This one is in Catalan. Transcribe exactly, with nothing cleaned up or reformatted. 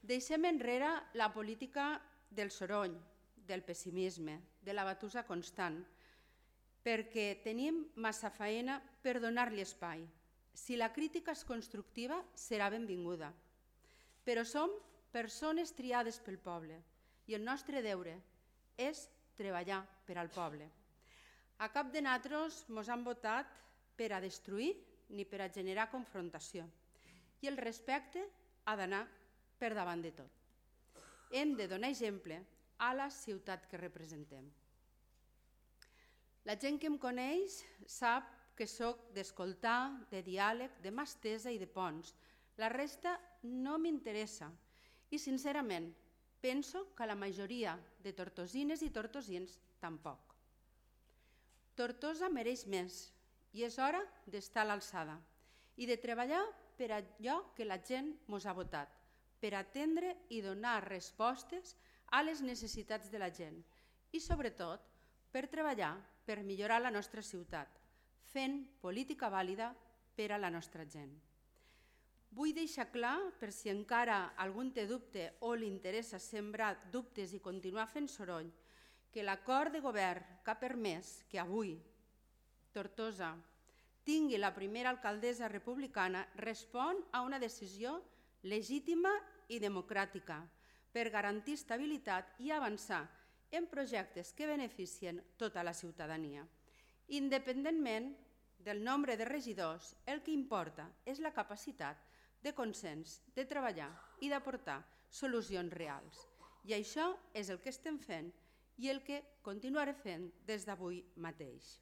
Deixem enrere la política del soroll, del pessimisme, de la batussa constant, perquè tenim massa feina per donar-li espai. Si la crítica és constructiva, serà benvinguda. Però som persones triades pel poble i el nostre deure és treballar per al poble. A cap de nosaltres ens han votat per a destruir ni per a generar confrontació. I el respecte ha d'anar per davant de tot. Hem de donar exemple a la ciutat que representem. La gent que em coneix sap que sóc d'escoltar, de diàleg, de mà estesa i de ponts. La resta no m'interessa i, sincerament, penso que la majoria de tortosines i tortosins tampoc. Tortosa mereix més i és hora d'estar a l'alçada i de treballar per allò que la gent ens ha votat, per atendre i donar respostes a les necessitats de la gent i, sobretot, per treballar per millorar la nostra ciutat, fent política vàlida per a la nostra gent. Vull deixar clar, per si encara algú té dubte o li interessa sembrar dubtes i continuar fent soroll, que l'acord de govern que ha permès que avui Tortosa tingui la primera alcaldessa republicana respon a una decisió legítima i democràtica per garantir estabilitat i avançar en projectes que beneficien tota la ciutadania. Independentment del nombre de regidors, el que importa és la capacitat de consens, de treballar i d'aportar solucions reals. I això és el que estem fent i el que continuaré fent des d'avui mateix.